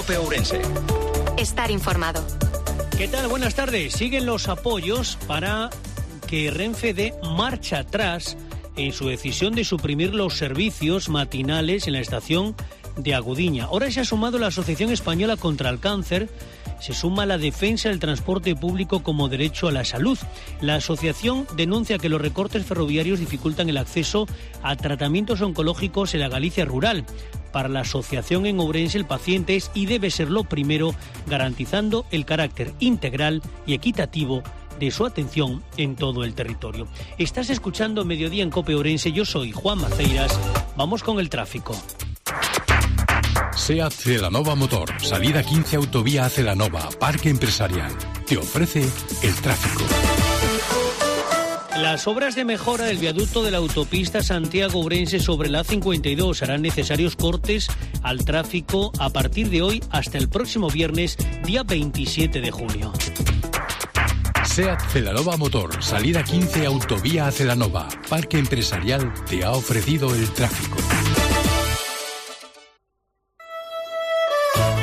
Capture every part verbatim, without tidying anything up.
COPE Ourense. Estar informado. ¿Qué tal? Buenas tardes. Siguen los apoyos para que Renfe dé marcha atrás en su decisión de suprimir los servicios matinales en la estación de Agudiña. Ahora se ha sumado la Asociación Española contra el Cáncer, se suma la defensa del transporte público como derecho a la salud. La asociación denuncia que los recortes ferroviarios dificultan el acceso a tratamientos oncológicos en la Galicia rural. Para la asociación en Ourense, el paciente es y debe ser lo primero, garantizando el carácter integral y equitativo de su atención en todo el territorio. Estás escuchando Mediodía en COPE Ourense. Yo soy Juan Maceiras. Vamos con el tráfico. SEAT Celanova Motor, salida quince Autovía Celanova, Parque Empresarial. Te ofrece el tráfico. Las obras de mejora del viaducto de la autopista Santiago-Ourense sobre la A cincuenta y dos harán necesarios cortes al tráfico a partir de hoy hasta el próximo viernes, día veintisiete de junio. SEAT Celanova Motor, salida quince Autovía Celanova, Parque Empresarial te ha ofrecido el tráfico.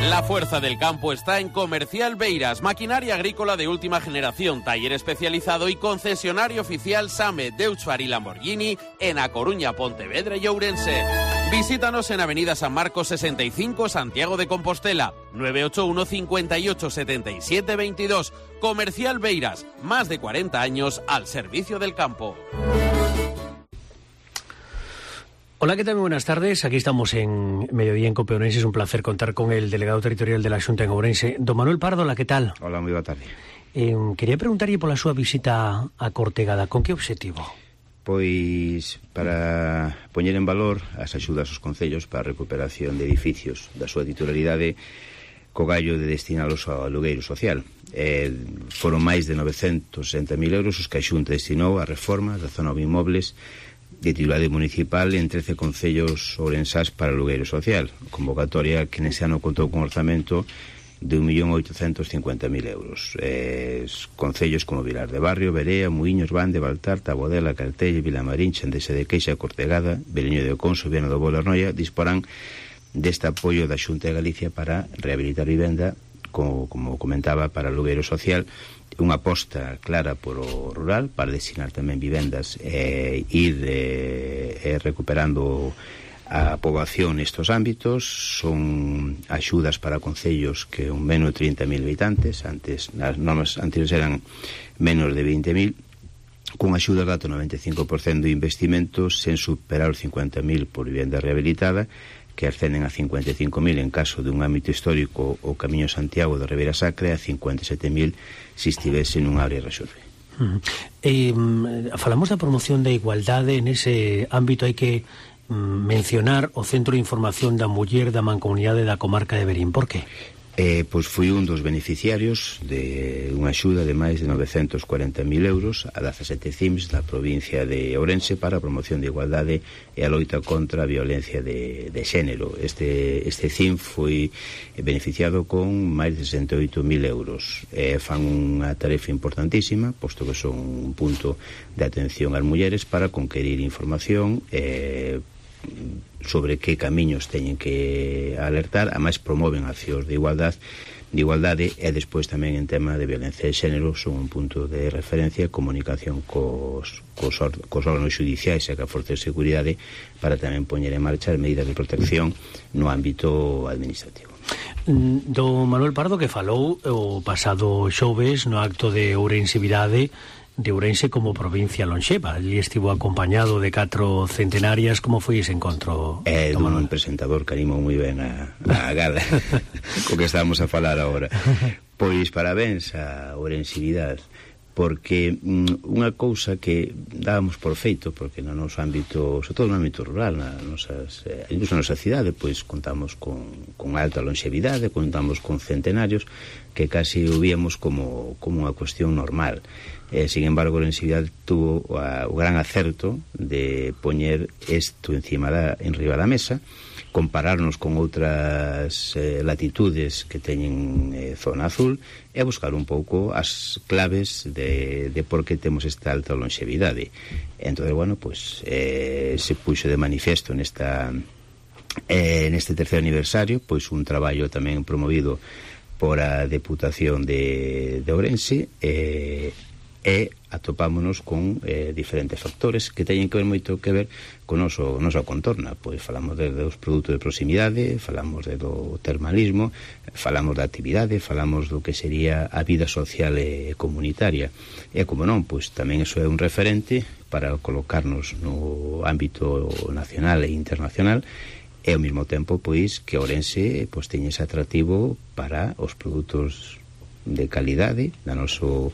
La fuerza del campo está en Comercial Beiras, maquinaria agrícola de última generación, taller especializado y concesionario oficial SAME, Deutscher y Lamborghini en A Coruña, Pontevedra y Ourense. Visítanos en Avenida San Marcos sesenta y cinco, Santiago de Compostela, nueve ocho uno, cinco ocho, siete siete dos dos. Comercial Beiras, más de cuarenta años al servicio del campo. Hola, ¿qué tal? Muy buenas tardes. Aquí estamos en Mediodía en COPE Ourense. Es un placer contar con el delegado territorial de la Xunta en Ourense, don Manuel Pardo. Hola, ¿qué tal? Hola, moi boa tarde. Eh, quería preguntarlle pola súa visita a Cortegada. Con que obxectivo? Pois para poñer en valor as axudas aos concellos para a recuperación de edificios da súa titularidade co gallo de destinalos ao alugueiro social. Eh, foron máis de novecentos sesenta mil euros os que a Xunta destinou a reformas da zona de inmobles de titularidade municipal en trece concellos ourensás para o alugueiro social, convocatoria que nese ano contou con orzamento de un millón oitocentos cincuenta mil euros. Eh, concellos como Vilar de Barrio, Berea, Muiños, Bande, Baltar, Tabodela, Cartelle, Vilamarín, Chandese de Queixa, Cortegada, Beleño de Oconso, Viana do Bolo, Arnoia, disporán deste apoio da Xunta de Galicia para rehabilitar vivenda, como, como comentaba, para o alugueiro social, unha aposta clara por o rural para destinar tamén vivendas e eh, ir eh, recuperando a poboación nestos ámbitos. Son axudas para concellos que un menos de trinta mil habitantes, antes nas normas anteriores eran menos de veinte mil, con axuda gato noventa e cinco por cento de investimentos sen superar os cincuenta mil por vivenda rehabilitada, que ascenden a cincuenta e cinco mil en caso de un ámbito histórico o Camiño Santiago de Ribeira Sacra e a cincuenta e sete mil se estivese nun área resolve. Uh-huh. Eh, falamos da promoción da igualdade. Nese ámbito hai que mm, mencionar o Centro de Información da Muller da Mancomunidade da Comarca de Verín. Por que? Eh, pois foi un dos beneficiarios de unha axuda de máis de novecentos cuarenta mil euros a dezasete C I M S da provincia de Ourense para a promoción de igualdade e a loita contra a violencia de, de xénero. Este, este C I M foi beneficiado con máis de sesenta e oito mil euros. Eh, fan unha tarefa importantísima, posto que son un punto de atención ás mulleres para conquerir información eh, sobre que camiños teñen que alertar. Ademais promoven accións de igualdade de igualdade e despois tamén en tema de violencia de xénero son un punto de referencia, comunicación cos, cos, cos órganos judiciais e ca Forza de Seguridade para tamén poñer en marcha as medidas de protección no ámbito administrativo. Do Manuel Pardo, que falou o pasado xoves no acto de Ourensevidade de Ourense como provincia lonxeva. Allí estivo acompañado de catro centenarias. Como foi ese encontro? É dun Manuel? Presentador que animou moi ben a, a gala co que estamos a falar agora. Pois parabéns a Ourensevidade, porque mm, unha cousa que dábamos por feito, porque no noso ámbito, sobre todo no ámbito rural, na nosas, eh, incluso na nosa cidade, pois contamos con, con alta longevidade, contamos con centenarios que casi o víamos como, como unha cuestión normal. Eh, sin embargo, a longevidade tuvo a, o gran acerto de poñer isto encima da, en riba da mesa, compararnos con outras eh, latitudes que teñen eh, zona azul e buscar un pouco as claves de, de por que temos esta alta longevidade. Entón, bueno, pues, eh, se puxo de manifesto nesta Eh, neste terceiro aniversario, pois un traballo tamén promovido por a Deputación de, de Ourense, eh, e atopámonos con eh, diferentes factores que teñen que ver moito que ver con o noso, nosa contorna. Pois falamos de, dos produtos de proximidade, falamos de do termalismo, falamos da actividade, falamos do que sería a vida social e comunitaria. E como non, pois tamén iso é un referente para colocarnos no ámbito nacional e internacional, e ao mesmo tempo pois que Ourense pois teña ese atractivo para os produtos de calidade da noso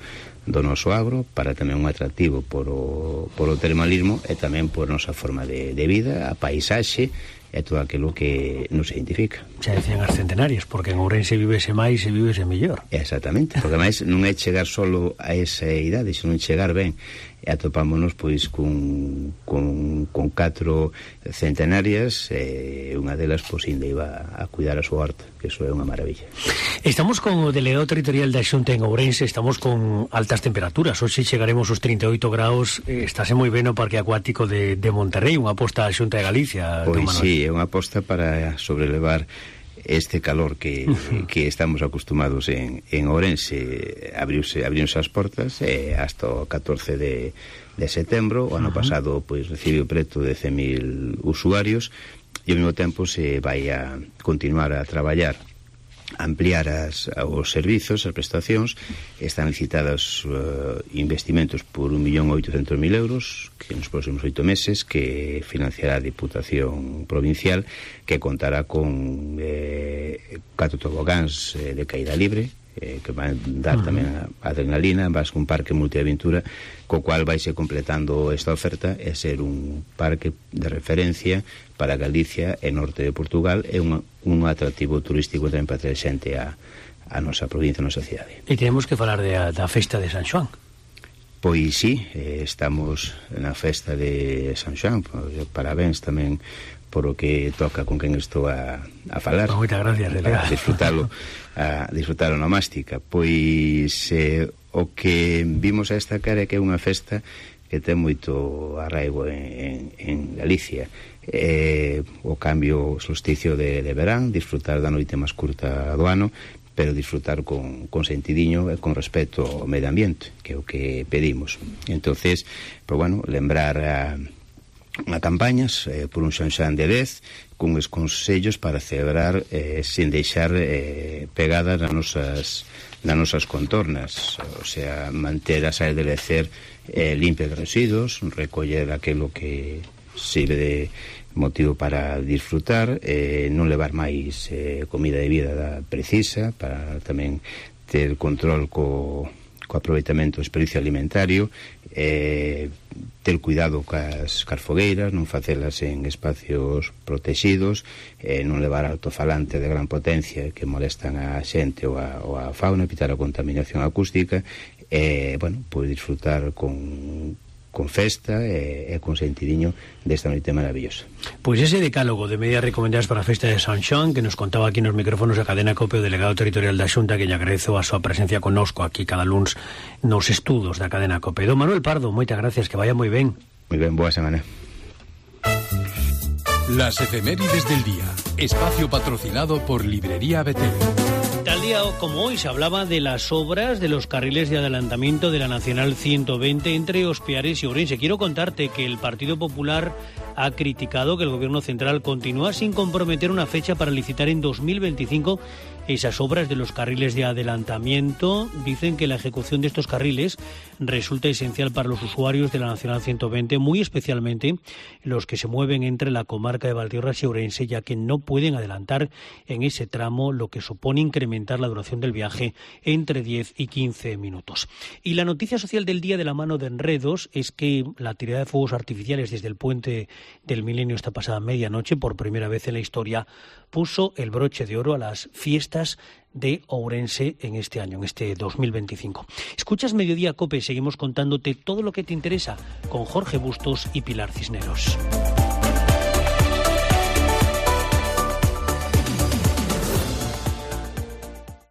do noso agro, para tamén un atractivo por o, por o termalismo e tamén por a nosa forma de, de vida, a paisaxe e todo aquilo que nos identifica. Xa decían as centenarias, porque en Ourense vivese máis e vivese mellor. Exactamente, porque máis non é chegar solo a esa idade, senón chegar ben. E atopámonos pois con, con, con catro centenarias, e unha delas pois ainda iba a cuidar a súa horta, que iso é unha maravilla. Estamos con o delegado territorial da Xunta en Ourense, estamos con altas temperaturas. Hoxe chegaremos aos trinta e oito graus, eh, estáse moi ben o Parque Acuático de, de Monterrey, unha aposta da Xunta de Galicia. Pois sí, é unha aposta para sobrelevar este calor que, uh-huh. que estamos acostumados en, en Ourense. Abriuse, abriuse as portas eh, hasta o catorce de, de setembro. O ano uh-huh. pasado pois recibiu preto de cen mil usuarios, e ao mesmo tempo se vai a continuar a traballar, ampliar as, os servizos, as prestacións. Están licitados uh, investimentos por un millón oitocentos mil euros que nos próximos oito meses, que financiará a Diputación Provincial, que contará con eh, catro tobogáns eh, de caída libre, eh, que van dar uh-huh. tamén a adrenalina, vas con un parque multiaventura, co cual vaise completando esta oferta e ser un parque de referencia para Galicia e norte de Portugal, e un, un atractivo turístico tamén para traer xente a, a nosa provincia, a nosa cidade. E temos que falar de, da festa de San Xoán. Pois sí, eh, estamos na festa de San Xoán. Pois, parabéns tamén por o que toca con quen estou a, a falar. Moitas gracias, delegado. A disfrutalo, a disfrutalo na mástica. Pois eh, o que vimos a destacar é que é unha festa que ten moito arraigo en, en, en Galicia. Eh, o cambio, o solsticio de, de verán, disfrutar da noite máis curta do ano, pero disfrutar con, con sentidiño e con respeto ao medio ambiente, que é o que pedimos. Entonces, pues bueno, lembrar a, a campañas eh, por un San Xoán de dez, con os consellos para celebrar eh, sin deixar eh, pegadas nas nosas, nas nosas contornas, o sea, manter as áreas de lecer eh, limpias de residuos, recoller aquilo que sirve de motivo para disfrutar, eh, non levar máis eh, comida de vida da precisa, para tamén ter control co, co aproveitamento do desperdicio alimentario, eh, ter cuidado cas, cas fogueiras, non facelas en espacios protegidos, eh, non levar altofalante de gran potencia que molestan a xente ou a, ou a fauna, evitar a contaminación acústica, e, eh, bueno, pois disfrutar con con festa e, e con sentidiño desta noite maravillosa. Pois ese decálogo de medidas recomendadas para a festa de San Xoán, que nos contaba aquí nos micrófonos a Cadena COPE o delegado territorial da Xunta, que lle agradezo a súa presencia connosco aquí cada luns nos estudos da Cadena COPE. Don Manuel Pardo, moitas gracias, que vaya moi ben. Moi ben, boa semana. Las efemérides del día. Espacio patrocinado por Librería Betel. Tal día como hoy se hablaba de las obras de los carriles de adelantamiento de la Nacional ciento veinte entre Ospiares y Ourense. Quiero contarte que el Partido Popular ha criticado que el Gobierno central continúa sin comprometer una fecha para licitar en dos mil veinticinco esas obras de los carriles de adelantamiento. Dicen que la ejecución de estos carriles resulta esencial para los usuarios de la Nacional ciento veinte, muy especialmente los que se mueven entre la comarca de Valdeorras y Ourense, ya que no pueden adelantar en ese tramo, lo que supone incrementar la duración del viaje entre diez y quince minutos. Y la noticia social del día, de la mano de Enredos, es que la tirada de fuegos artificiales desde el puente del Milenio esta pasada medianoche, por primera vez en la historia, puso el broche de oro a las fiestas de Ourense en este año, en este dos mil veinticinco. Escuchas Mediodía COPE, seguimos contándote todo lo que te interesa con Jorge Bustos y Pilar Cisneros.